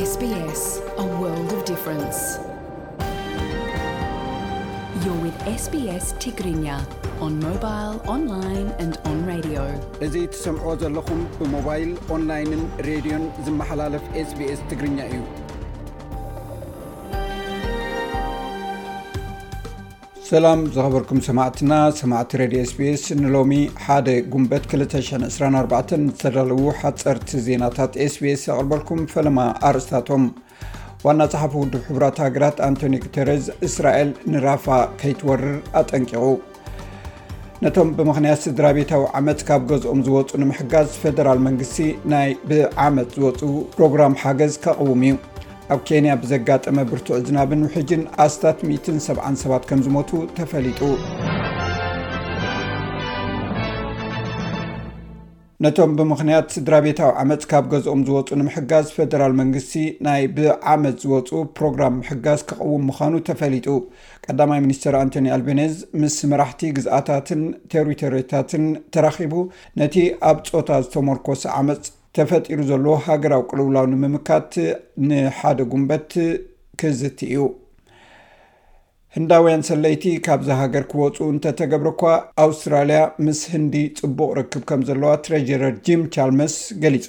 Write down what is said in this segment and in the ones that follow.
S B S, a world of difference. You're with S B S Tigrinya on mobile, online and on radio. እዚ ትሰምዕዎ ዘለኹም ብሞባይል፣ ኦንላይንን ሬድዮን ዝመሓላለፍ S B S ትግርኛ እዩ። ሰላም ዝኸበርኩም ሰማዕትና፣ ሰማዕቲ ሬድዮ S B S፣ ንሎሚ ሓደ ጉንበት ክልተ ሽሕን ዕስራን ኣርባዕተን ዝተዳለዉ ሓጸርቲ ዜናታት S B S የቕርበልኩም። ፈለማ ኣርእስታቶም። ዋና ጸሓፊ ውድብ ሕቡራት ሃገራት ኣንቶኒ ጉተረዝ፣ እስራኤል ንራፋ ከይትወርር ኣጠንቂቑ። ነቶም ብምኽንያት ስድራ ቤታዊ ዓመጽ ካብ ገዝኦም ዝወጹ ንምሕጋዝ፣ ፈደራል መንግስቲ ናይ ብዓመጽ ዝወጹ ፕሮግራም ሓገዝ ከቕውም እዩ። ኣብ ኬንያ ብዘጋጠመ ብርቱዕ ዝናብን ውሕጅን ኣስታት ሚእትን ሰብዓን ሰባት ከም ዝሞቱ ተፈሊጡ። ነቶም ብምኽንያት ስድራ ቤታዊ ዓመጽ ካብ ገዝኦም ዝወጹ ንምሕጋዝ፣ ፈደራል መንግስቲ ናይ ብዓመጽ ዝወጹ ፕሮግራም ምሕጋዝ ክቕውም ምዃኑ ተፈሊጡ። ቀዳማይ ሚኒስተር ኣንቶኒ ኣልቤኔዝ ምስ መራሕቲ ግዝኣታትን ቴሪቶሪታትን ተራኺቡ፣ ነቲ ኣብ ጾታ ዝተመርኮሰ ዓመጽ ተፈጢሩ ዘሎ ሃገራዊ ቅልውላው ንምምካት ንሓደ ጉንበት ክዝቲ እዩ። ህንዳውያን ሰለይቲ ካብዛ ሃገር ክወጹ እንተተገብረ እኳ፣ ኣውስትራልያ ምስ ህንዲ ጽቡቕ ርክብ ከም ዘለዋ ትሬጀረር ጂም ቻልመስ ገሊጹ።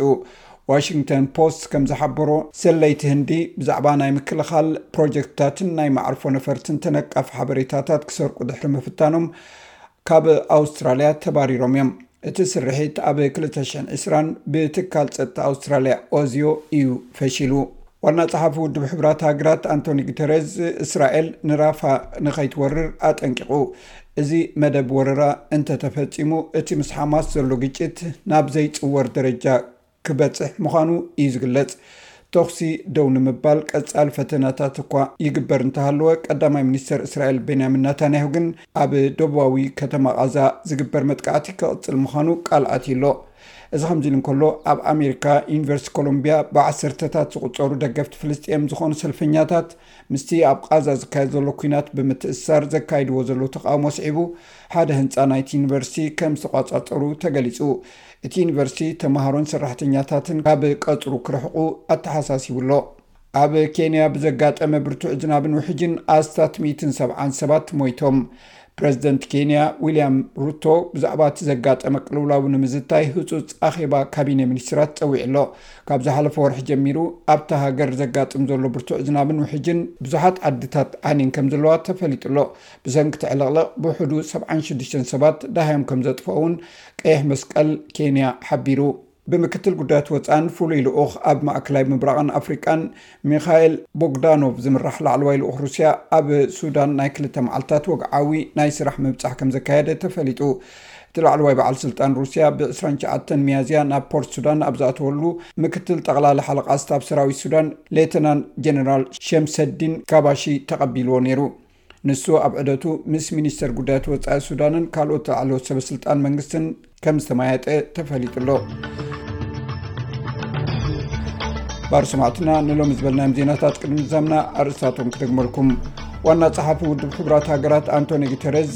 ዋሽንግተን ፖስት ከም ዝሓበሮ፣ ሰለይቲ ህንዲ ብዛዕባ ናይ ምክልኻል ፕሮጀክትታትን ናይ መዓርፎ ነፈርትን ተነቃፊ ሓበሬታታት ክሰርቁ ድሕሪ ምፍታኖም፣ ካብ ኣውስትራልያ ተባሪሮም እዮም። እቲ ስርሒት ኣብ ክልተ ሽሕን ዕስራን ብትካል ጸጥታ ኣውስትራልያ ኦዚዮ እዩ ፈሺሉ። ዋና ጸሓፊ ውድብ ሕቡራት ሃገራት ኣንቶኒ ጉተረዝ፣ እስራኤል ንራፋ ንኸይትወርር ኣጠንቂቑ። እዚ መደብ ወረራ እንተተፈጺሙ፣ እቲ ምስ ሓማስ ዘሎ ግጭት ናብ ዘይጽወር ደረጃ ክበጽሕ ምዃኑ እዩ ዝግለጽ። ተኹሲ ደው ንምባል ቀጻሊ ፈተነታት እኳ ይግበር እንተሃለወ፣ ቀዳማይ ሚኒስተር እስራኤል ቤንያሚን ናታንያሁ ግን ኣብ ደቡባዊ ከተማ ቓዛ ዝግበር መጥቃዕቲ ክቕጽል ምዃኑ ቃል ኣትዩ ኣሎ። እዚ ከምዚ ኢሉ እንከሎ፣ ኣብ ኣሜሪካ ዩኒቨርሲቲ ኮሎምቢያ ብዓሰርተታት ዝቑጸሩ ደገፍቲ ፍልስጤም ዝኾኑ ሰልፈኛታት ምስቲ ኣብ ቓዛ ዝካየድ ዘሎ ኲናት ብምትእስሳር ዘካይድዎ ዘለዉ ተቓውሞ ስዒቡ፣ ሓደ ህንጻ ናይቲ ዩኒቨርሲቲ ከም ዝተቋጻጸሩ ተገሊጹ። እቲ ዩኒቨርሲቲ ተማሃሮን ሰራሕተኛታትን ካብ ቀጽሩ ክርሕቑ ኣተሓሳሲቡ ኣሎ። ኣብ ኬንያ ብዘጋጠመ ብርቱዕ ዝናብን ውሕጅን ኣስታት ሚእትን ሰብዓን ሰባት ሞይቶም። ፕረዚደንት ኬንያ ዊልያም ሩቶ ብዛዕባ እቲ ዘጋጠመ ቅልውላው ንምዝታይ ህጹጽ ኣኼባ ካቢነ ሚኒስትራት ጸዊዑ ኣሎ። ካብ ዝሓለፈ ወርሒ ጀሚሩ ኣብታ ሃገር ዘጋጥም ዘሎ ብርቱዕ ዝናብን ውሕጅን ብዙሓት ዓድታት ዓንየን ከም ዘለዋ ተፈሊጡ ኣሎ። ብሰንኪ እቲ ዕልቕልቕ ብውሕዱ ሰብዓን ሽዱሽተን ሰባት ደሃዮም ከም ዘጥፍኦ እውን ቀይሕ መስቀል ኬንያ ሓቢሩ። ብምክትል ጉዳያት ወጻእን ፍሉይ ልኡኽ ኣብ ማእከላይ ምብራቕን ኣፍሪቃን ሚኻኤል ቦግዳኖቭ ዝምራሕ ላዕለዋይ ልኡኽ ሩስያ ኣብ ሱዳን ናይ ክልተ መዓልታት ወግዓዊ ናይ ስራሕ ምብጻሕ ከም ዘካየደ ተፈሊጡ። እቲ ላዕለዋይ በዓል ስልጣን ሩስያ ብ ዕስራን ትሽዓተን ሚያዝያ ናብ ፖርት ሱዳን ኣብ ዝኣተወሉ፣ ምክትል ጠቕላሊ ሓለቓ ስታፍ ሰራዊት ሱዳን ሌተናንት ጀነራል ሸምሰዲን ካባሺ ተቐቢልዎ ነይሩ። ንሱ ኣብ ዕደቱ ምስ ሚኒስተር ጉዳያት ወጻኢ ሱዳንን ካልኦት ላዕለዎት ሰበስልጣን መንግስትን ከም ዝተመያየጠ ተፈሊጡ ኣሎ። ባር ሰማዕትና፣ ንሎሚ ዝበልናዮም ዜናታት ቅድሚ ምዛምና ኣርእስታቶም ክደግመልኩም። ዋና ጸሓፊ ውድብ ሕቡራት ሃገራት ኣንቶኒ ጉተረዝ፣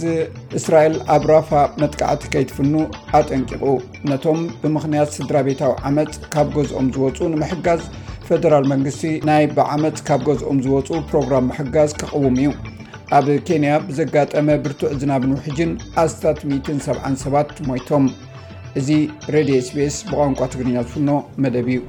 እስራኤል ኣብ ራፋ መጥቃዕቲ ከይትፍኑ ኣጠንቂቑ። ነቶም ብምኽንያት ስድራ ቤታዊ ዓመጽ ካብ ገዝኦም ዝወጹ ንምሕጋዝ፣ ፈደራል መንግስቲ ናይ ብዓመጽ ካብ ገዝኦም ዝወጹ ፕሮግራም ምሕጋዝ ክቕውም እዩ። ኣብ ኬንያ ብዘጋጠመ ብርቱዕ ዝናብን ውሕጅን ኣስታት ሚእትን ሰብዓን ሰባት ሞይቶም። እዚ ሬድዮ S B S ብቋንቋ ትግርኛ ዝፍኖ መደብ እዩ።